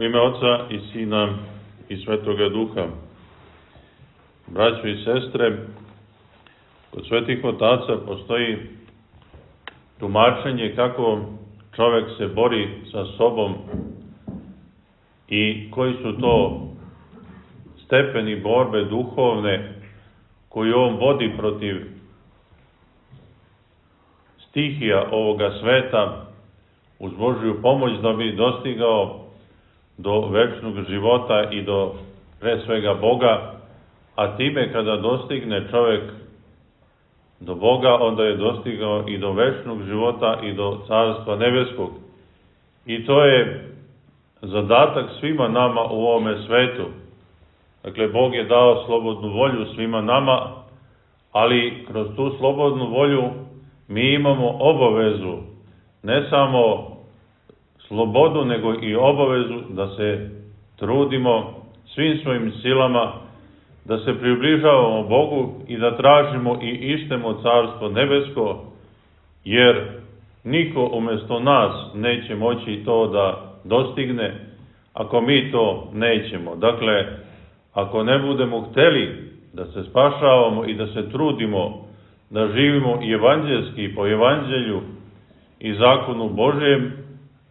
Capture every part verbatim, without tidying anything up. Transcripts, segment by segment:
U ime Oca i Sina i Svetoga Duha. Braćo i sestre, kod svetih otaca postoji tumačenje kako čovek se bori sa sobom i koji su to stepeni borbe duhovne koju on vodi protiv stihija ovoga sveta uz Božju pomoć da bi dostigao do večnog života i do pre svega Boga, a time kada dostigne čovek do Boga, onda je dostigao i do večnog života i do Carstva nebeskog. I to je zadatak svima nama u ovome svetu. Dakle, Bog je dao slobodnu volju svima nama, ali kroz tu slobodnu volju mi imamo obavezu, ne samo slobodu, nego i obavezu da se trudimo svim svojim silama, da se približavamo Bogu i da tražimo i ištemo Carstvo nebesko, jer niko umjesto nas neće moći to da dostigne ako mi to nećemo. Dakle, ako ne budemo hteli da se spašavamo i da se trudimo da živimo i evanđelski po evanđelju i zakonu Božjem,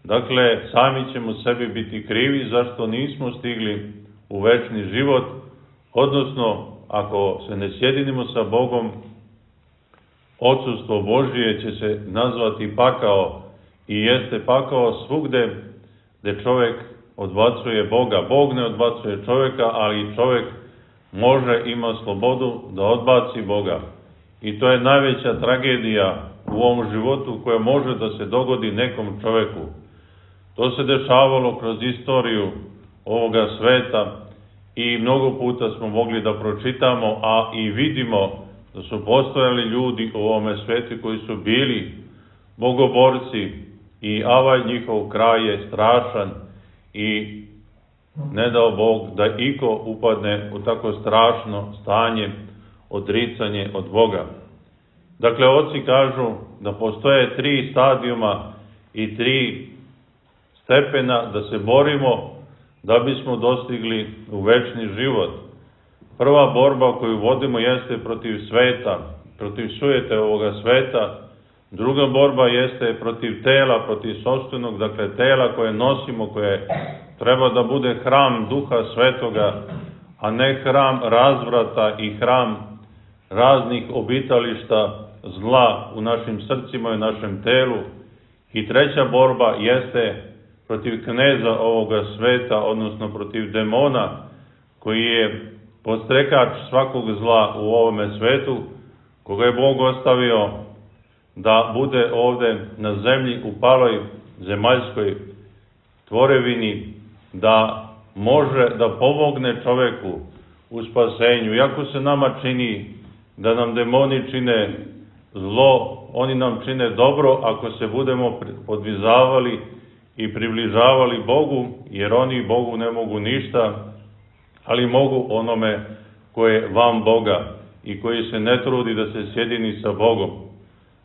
dakle, sami ćemo sebi biti krivi zašto nismo stigli u večni život, odnosno, ako se ne sjedinimo sa Bogom, odsustvo Božije će se nazvati pakao i jeste pakao svugde gde čovek odbacuje Boga. Bog ne odbacuje čoveka, ali čovek može, ima slobodu da odbaci Boga. I to je najveća tragedija u ovom životu koja može da se dogodi nekom čoveku. To se dešavalo kroz istoriju ovoga sveta i mnogo puta smo mogli da pročitamo, a i vidimo da su postojali ljudi u ovome svetu koji su bili bogoborci i avaj njihov kraj je strašan i ne dao Bog da iko upadne u tako strašno stanje, odricanje od Boga. Dakle, oci kažu da postoje tri stadijuma i tri stepena da se borimo da bismo dostigli u večni život. Prva borba koju vodimo jeste protiv sveta, protiv sujete ovoga sveta. Druga borba jeste protiv tela, protiv sopstvenog, dakle tela koje nosimo, koje treba da bude hram Duha Svetoga, a ne hram razvrata i hram raznih obitališta zla u našim srcima i u našem telu. I treća borba jeste protiv kneza ovoga sveta, odnosno protiv demona, koji je podstrekač svakog zla u ovome svetu, koga je Bog ostavio da bude ovde na zemlji u paloj zemaljskoj tvorevini, da može da pomogne čoveku u spasenju. Iako se nama čini da nam demoni čine zlo, oni nam čine dobro ako se budemo podvizavali i približavali Bogu, jer oni Bogu ne mogu ništa, ali mogu onome koje je van Boga i koji se ne trudi da se sjedini sa Bogom.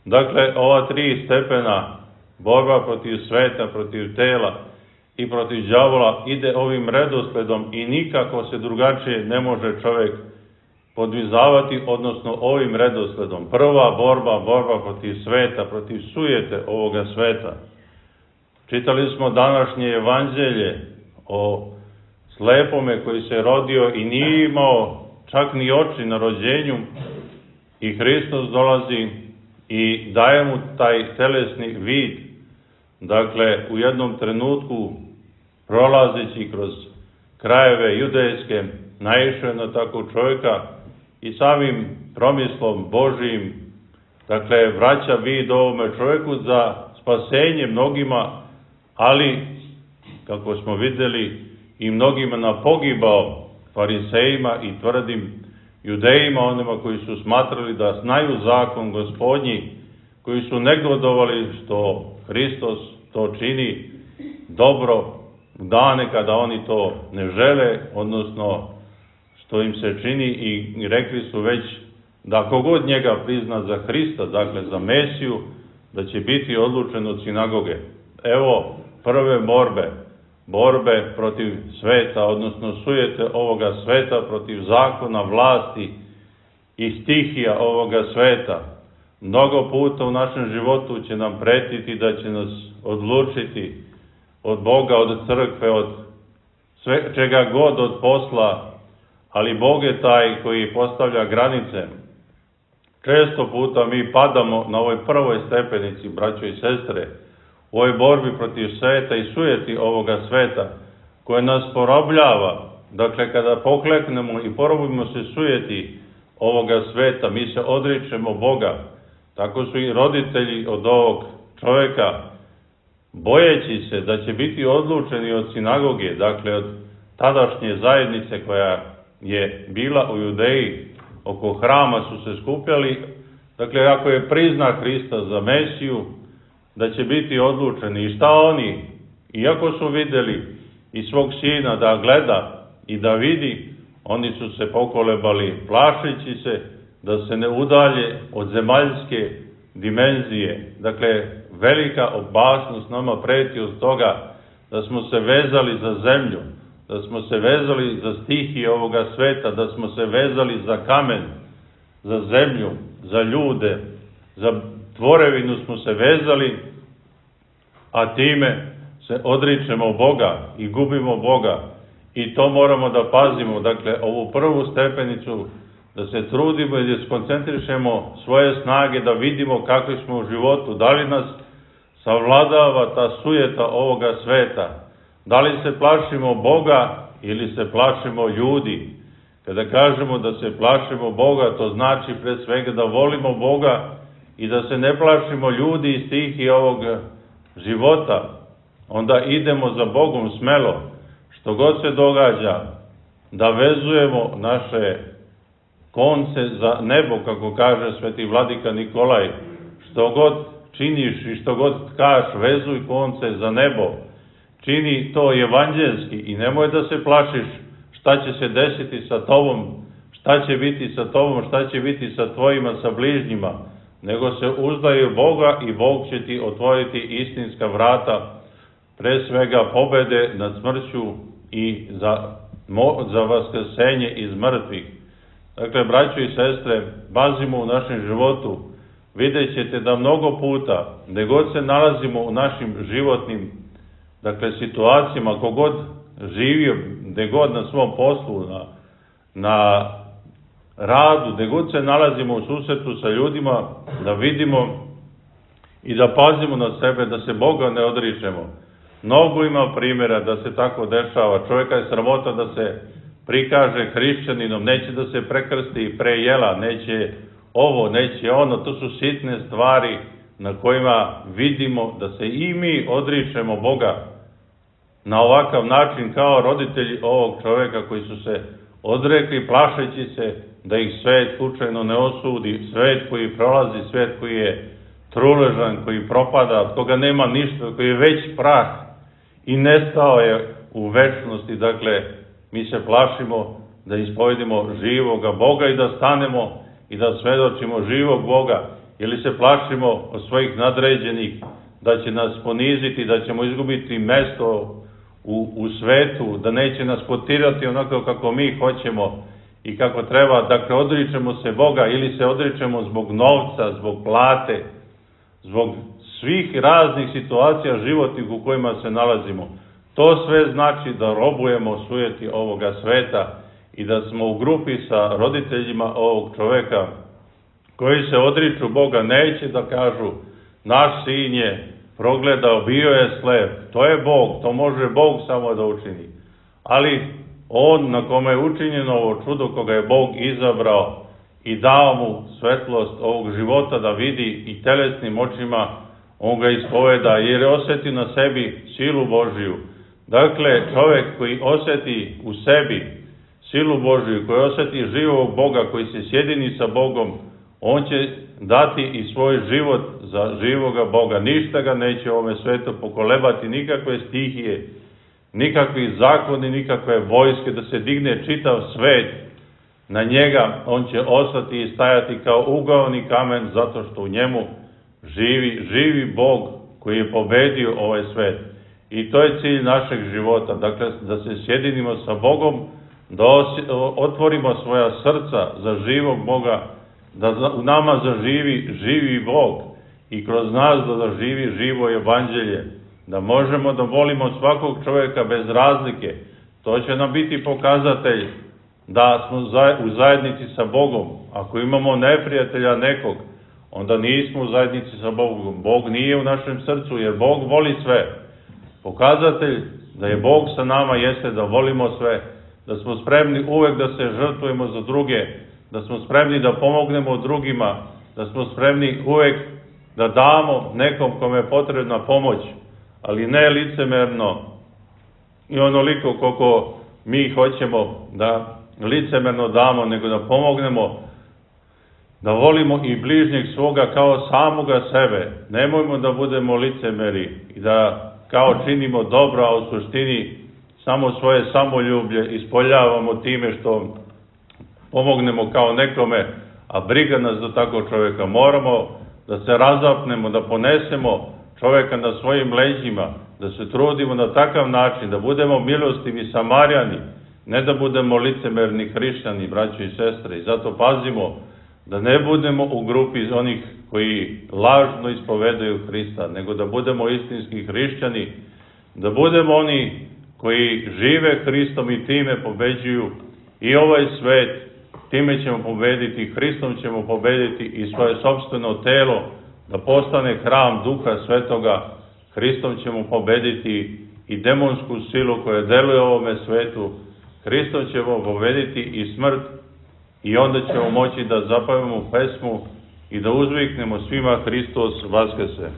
Dakle, ova tri stepena, borba protiv sveta, protiv tela i protiv đavola, ide ovim redosledom i nikako se drugačije ne može čovek podvizavati, odnosno ovim redosledom. Prva borba, borba protiv sveta, protiv sujete ovoga sveta. Čitali smo današnje evanđelje o slepome koji se rodio i nije imao čak ni oči na rođenju i Hristos dolazi i daje mu taj telesni vid. Dakle, u jednom trenutku prolazeći kroz krajeve judejske naišao je na takvog čovjeka i samim promislom Božijim, dakle, vraća vid ovome čovjeku za spasenje mnogima, ali, kako smo vidjeli, i mnogima napogibao farisejima i tvrdim judejima, onima koji su smatrali da znaju zakon Gospodnji, koji su negodovali što Hristos to čini dobro u dane kada oni to ne žele, odnosno što im se čini, i rekli su već da kogod njega prizna za Hrista, dakle za Mesiju, da će biti odlučen od sinagoge. Evo prve borbe. borbe protiv sveta, odnosno sujete ovoga sveta, protiv zakona, vlasti i stihija ovoga sveta. Mnogo puta u našem životu će nam pretiti da će nas odlučiti od Boga, od crkve, od sve, čega god, od posla, ali Bog je taj koji postavlja granice. Često puta mi padamo na ovoj prvoj stepenici, braćo i sestre, u ovoj borbi protiv sveta i sujeti ovoga sveta, koje nas porobljava. Dakle, kada pokleknemo i porobimo se sujeti ovoga sveta, mi se odričemo Boga. Tako su i roditelji od ovog čoveka, bojeći se da će biti odlučeni od sinagoge, dakle od tadašnje zajednice koja je bila u Judeji, oko hrama su se skupljali, dakle ako je prizna Hrista za Mesiju, da će biti odlučeni. I šta oni, iako su vidjeli i svog sina da gleda i da vidi, oni su se pokolebali plašeći se da se ne udalje od zemaljske dimenzije. Dakle, velika opasnost nama preti od toga da smo se vezali za zemlju, da smo se vezali za stihije ovoga sveta, da smo se vezali za kamen, za zemlju, za ljude, za tvorevinu smo se vezali, a time se odričemo Boga i gubimo Boga. I to moramo da pazimo, dakle, ovu prvu stepenicu, da se trudimo i da skoncentrišemo svoje snage, da vidimo kakvi smo u životu, da li nas savladava ta sujeta ovoga sveta, da li se plašimo Boga ili se plašimo ljudi. Kada kažemo da se plašimo Boga, to znači pre svega da volimo Boga i da se ne plašimo ljudi i stihi ovog života. Onda idemo za Bogom smelo, što god se događa, da vezujemo naše konce za nebo, kako kaže sveti vladika Nikolaj. Što god činiš i što god tkaš, vezuj konce za nebo. Čini to evanđelski i nemoj da se plašiš šta će se desiti sa tobom, šta će biti sa tobom, šta će biti sa tvojima, sa bližnjima, nego se uzdaj u Boga i Bog će ti otvoriti istinska vrata, pre svega pobede nad smrću i za, za vaskrsenje iz mrtvih. Dakle, braćo i sestre, pazimo u našem životu, vidjet ćete da mnogo puta, gde god se nalazimo u našim životnim, dakle, situacijama, kogod živio, gde god na svom poslu, na, na radu, gde god se nalazimo u susretu sa ljudima, da vidimo i da pazimo na sebe, da se Boga ne odričemo. Mnogo ima primjera da se tako dešava. Čovjeka je sramota da se prikaže hrišćaninom, neće da se prekrsti pre jela, neće ovo, neće ono. To su sitne stvari na kojima vidimo da se i mi odričemo Boga na ovakav način kao roditelji ovog čovjeka koji su se odrekli plašeći se da ih svet slučajno ne osudi, svet koji prolazi, svet koji je truležan, koji propada, od koga nema ništa, koji je već prah i nestao je u večnosti. Dakle, mi se plašimo da ispovedimo živoga Boga i da stanemo i da svedočimo živog Boga, ili se plašimo od svojih nadređenih da će nas poniziti, da ćemo izgubiti mesto u, u svetu, da neće nas potirati onako kako mi hoćemo i kako treba. Dakle, odričemo se Boga ili se odričemo zbog novca, zbog plate, zbog svih raznih situacija životnih u kojima se nalazimo. To sve znači da robujemo sujeti ovoga sveta i da smo u grupi sa roditeljima ovog čoveka koji se odriču Boga. Neće da kažu naš sin je progledao, bio je slep, to je Bog, to može Bog samo da učini. Ali on na kome je učinjeno ovo čudo, koga je Bog izabrao i dao mu svetlost ovog života da vidi i telesnim očima, on ga ispoveda jer je osjeti na sebi silu Božiju. Dakle, čovjek koji osjeti u sebi silu Božiju, koji osjeti živog Boga, koji se sjedini sa Bogom, on će dati i svoj život za živoga Boga. Ništa ga neće u ovome svetu pokolebati, nikakve stihije, nikakvi zakoni, nikakve vojske, da se digne čitav svet na njega. On će ostati i stajati kao ugaoni kamen, zato što u njemu živi, živi Bog koji je pobedio ovaj svet. I to je cilj našeg života, dakle da se sjedinimo sa Bogom, da otvorimo svoja srca za živog Boga, da u nama zaživi živi Bog i kroz nas da zaživi živo evanđelje, da možemo da volimo svakog čovjeka bez razlike. To će nam biti pokazatelj da smo u zajednici sa Bogom. Ako imamo neprijatelja nekog, onda nismo u zajednici sa Bogom. Bog nije u našem srcu, jer Bog voli sve. Pokazatelj da je Bog sa nama jeste da volimo sve, da smo spremni uvek da se žrtvujemo za druge, da smo spremni da pomognemo drugima, da smo spremni uvek da damo nekom kome je potrebna pomoć, ali ne licemerno i onoliko koliko mi hoćemo da licemerno damo, nego da pomognemo, da volimo i bližnjeg svoga kao samoga sebe. Nemojmo da budemo licemeri i da kao činimo dobro, a u suštini samo svoje samoljublje ispoljavamo time što pomognemo kao nekome, a briga nas do takvog čovjeka. Moramo da se razapnemo, da ponesemo čovjeka na svojim leđima, da se trudimo na takav način, da budemo milostivi Samarijani, ne da budemo licemerni hrišćani, braćo i sestre. I zato pazimo da ne budemo u grupi onih koji lažno ispovedaju Hrista, nego da budemo istinski hrišćani, da budemo oni koji žive Hristom i time pobeđuju i ovaj svet, time ćemo pobediti, Hristom ćemo pobediti i svoje sopstveno telo, da postane hram Duha Svetoga, Hristom ćemo pobediti i demonsku silu koja deluje u ovome svetu, Hristom ćemo pobediti i smrt, i onda ćemo moći da zapevamo pesmu i da uzviknemo svima Hristos Vaskese.